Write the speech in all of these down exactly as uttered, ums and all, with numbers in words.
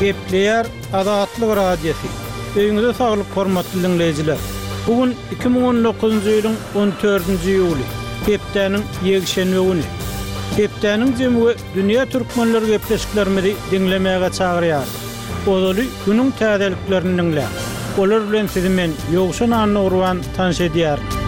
Gepleýär Azatlyk Radiosy. Öýüňize saglyk hormatly diňleýjiler. Bu gün iki müň on dokuzynjy ýylyň on dördünji iýuly, hepdäniň ýekşenbe güni. Hepdäniň jemi we dünýä türkmenleri gepleşiklerimizi diňlemäge çagyrýar. Ozaly günüň täzeliklerini diňläň. Olar bilen sizi men Ýowşan Annagurban tanyş edýärin.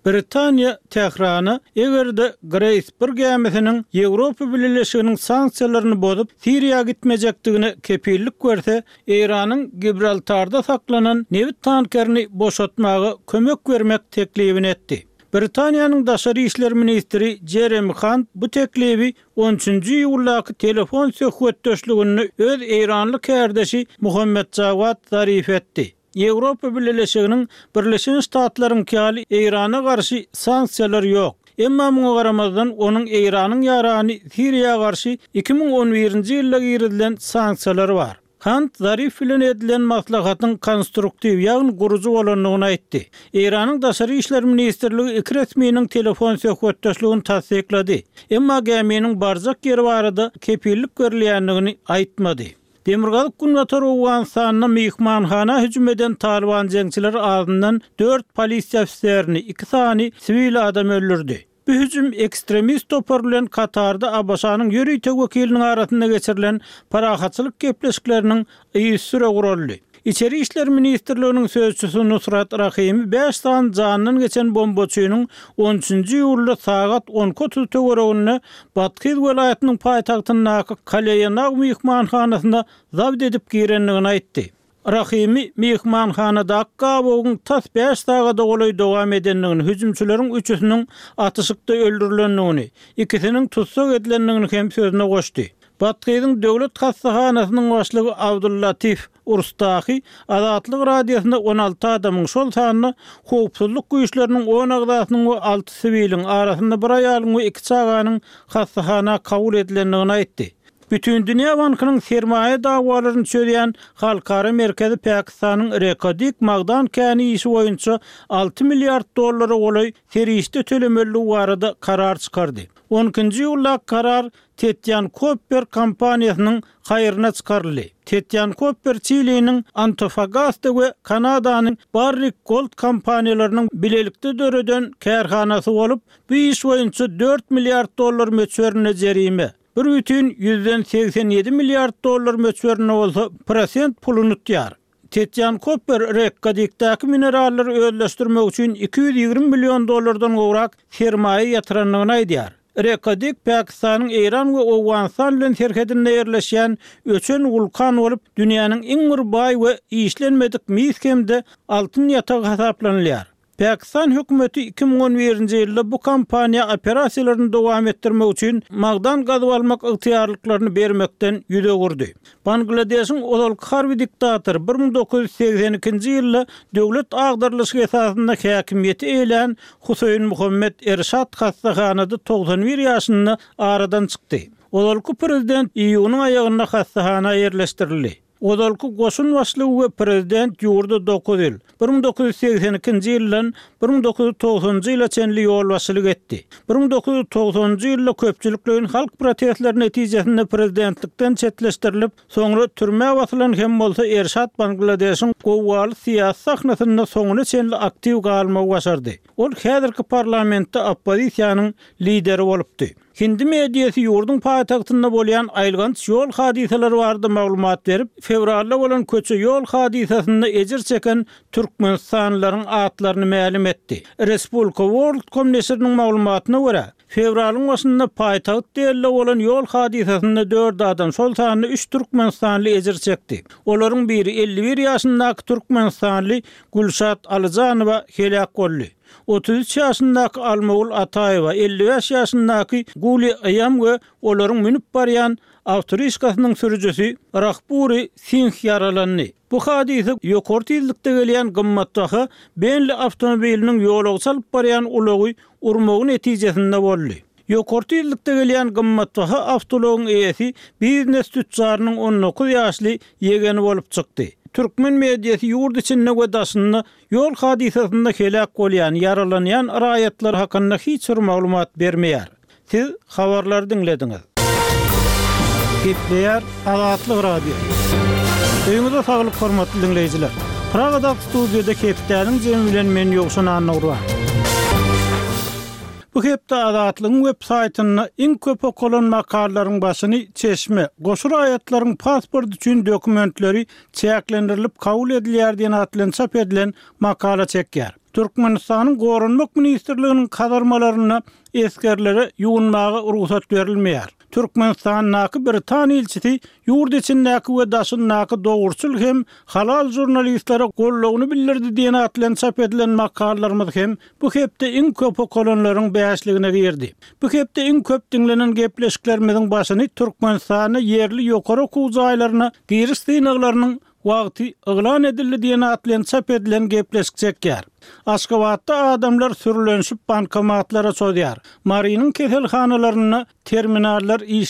Britaniýa Tährana eger-de Grace bir gämisiniň Ýewropa Bileleşiginiň sanksiýalaryny bozup Siriýa gitmejekdigine kepillik berse, Eýranyň Gibraltarda saklanan nebit tankerini boşatmaga kömek bermek teklibini etdi. Britaniýanyň daşary işler ministri Jeremy Hunt bu teklibi on üçünji iýuldaky telefon söhbetdeşliginde öz eýranly kärdeşi Muhammed Jawad Zarif etdi. Ýewropa Bileleşiginiň Birleşen Ştatlaryň ýaly Eýrana garşy sanksiýalar ýok. Emma muňa garamazdan onuň Eýranyň ýarany Siriýa garşy iki müň on birinji ýylda girizilen sanksiýalar bar. Hunt Zarif bilen edilen maslahatyň konstruktiw, ýagny gurujy bolandygyny aýtdy. Eýranyň daşary işler ministrligi iki resminiň telefon söhbetdeşligini tassyklady. Emma gäminiň barjak ýeri barada kepillik berilýändigini aýtmady. Demirgazyk Günbatar Owganystanda myhmanhana hüjüm eden Taliban jeňçileri azyndan dört polisiýa ofiserini, iki sany siwil adam öldürdi. Bu hüjüm ekstremist topar bilen Katarda ABŞ-nyň ýörite wekiliniň arasynda geçirilen parahatçylyk gepleşikleriniň yzysüre guraldy. Içeri işler ministrliginiň sözçüsi Nusrat Rahimi bäş sany jandan geçen bombaçynyň on üçünji iýulda sagat on iki otuz töwereginde Bathyz welaýatynyň paýtagtyndaky Kaleýanag myhmanhanasyna zabt edip girendigini aýtdy. Rahimi myhmanhanadaky gabawyň tas bäş sagada golaý dowam edendigini, hüjümçileriň üçüsiniň atyşykda öldürilendigini, ikisiniň tussag edilendigini hem sözüne goşdy. Bathyzyň döwlet hassahanasynyň başlygy Abdullatif Urstahi Azatlyk Radiosynda on alty adamyň, şol sanda howpsuzlyk güýçleriniň on agzasynyň we alty siwiliň arasynda bir aýalyň we iki çaganyň hassahana kabul edilendigini aýtdy. Bütindünýä bankynyň sermaýa dawalaryny çözýän halkara merkezi Pakistanyň Reko Dik magdan käni işi boýunça alty milliard dollara golaý serişde tölemeliligi barada karar çykardy. On ikinji iýuldaky karar Tetýan Kopper kompaniýasynyň haýryna çykaryldy. Tetýan Kopper Çiliniň Antofagasta we Kanadanyň Barrick Gold kompaniýalarynyň bilelikde döreden kärhanasy bolup, bu iş boýunça dört milliard dollar möçberinde jerime, bir bütin ýüzden segsen ýedi milliard dollar möçberinde bolsa prosent puluny tutýar. Tetýan Kopper Reko Dikdäki minerallary özleşdirmek üçin iki ýüz ýigrimi million dollardan gowrak sermaýa ýatyrandygyny aýdýar. Reko Dik Pakistanyň Eýran we Owganystan bilen serhedinde ýerleşýän öçen wulkan bolup, dünýäniň iň bir baý we işlenmedik mis hem-de altyn ýatagy hasaplanylýar. Pakistan hökümeti iki müň on birinji ýylda bu kompaniýa operasiýalaryny dowam etdirmek üçin magdan gazyp almak ygtyýarlyklaryny bermekden ýüz öwürdi. Bangladeşiň ozalky harby diktatory bir müň dokuz ýüz segsen ikinji ýylda döwlet agdarylyşy esasynda häkimiýeti eýelän Huseýn Muhammed Erşad hassahanada togsan bir ýaşynda aradan çykdy. Ozalky prezident iýunyň aýagynda hassahana ýerleşdirildi. Ozalky goşun başlygy we prezident ýurda dokuz ýyl, bir müň dokuz ýüz segsen ikinji ýyldan bir müň dokuz ýüz togsanjy ýyla çenli ýolbaşçylyk etdi. Bir müň dokuz ýüz togsanjy ýylda köpçülikleýin halk protestleri netijesinde prezidentlikden çetleşdirilip, soňra türmä basylan hem bolsa Erşad Bangladeşiň gowgaly syýasy sahnasynda soňuna çenli aktiw galmagy başardy. Ol häzirki parlamentde oppozisiýanyň lideri bolupdy. Hindi mediasy ýurduň paýtagtynda bolýan aýylganç ýol hadysalary barada maglumat berip, fewralda bolan köçe ýol hadysasynda ejir çeken türkmenistanlylaryň atlaryny mälim etdi. Respublika World.com neşiriniň maglumatyna görä, fewralyň başynda paýtagt Delide bolan ýol hadysasynda dört adam, şol sanda üç türkmenistanly ejir çekdi. Olaryň biri elli bir ýaşyndaky türkmenistanly Gülşat Alyjanowa heläk boldy. Otuz üç ýaşyndaky Almagül Ataýewa, elli bäş ýaşyndaky Guli Aýam we olaryň münüp barýan awtorişkasynyň sürüjisi Rahburi Singh ýaralandy. Bu hadysa ýokary tizlikde gelýän gymmatbaha Bentley awtomobiliniň ýolagçy alyp barýan ulagy urmagy netijesinde boldy. Ýokary tizlikde gelýän gymmatbaha awtoulagyň eýesi biznes tütjarynyň on dokuz ýaşly ýegeni bolup çykdy. Türkmen mediasy ýurt içinde we daşynda ýol hadysasynda heläk bolýan, ýaralanýan raýatlar hakynda hiç bir maglumat bermeýär. Siz habarlary diňlediňiz. Gepleýär Azatlyk Radiosy. Öýüňize saglyk hormatly diňleýjiler. Pragadaky studiýada hepdäniň jemi bilen men Ýowşan Annagurban. Bu hepde Azatlygyň web saýtynda iň köp okalan makalalaryň başyny Çeşme, goşa raýatlaryň pasport üçin dokumentleri çäklendirilip kabul edilýär diýen at bilen çap edilen makala çekýär. Türkmenistanyň Goranmak ministrliginiň kazarmalarynda esgerlere ýuwunmaga rugsat berilmeýär. Türkmenistandaky Britan ilçisi ýurt içindäki we daşyndaky dogruçyl hem halal žurnalistlere goldawyny bildirdi diýen at bilen çap edilen makalalarymyz hem bu hepde iň köp okalanlaryň bäşligine girdi. Bu hepde iň köp diňlenen gepleşiklerimiziň başyny Türkmenistanda ýerli ýokary okuw jaýlaryna giriş synaglarynyň wagty yglan edildi diýen at bilen çap edilen gepleşik çekýär. Aşgabatda adamlar sürlenişip bankomatlara çozýar. Marynyň keselhanalarynda terminallar işlemeýär.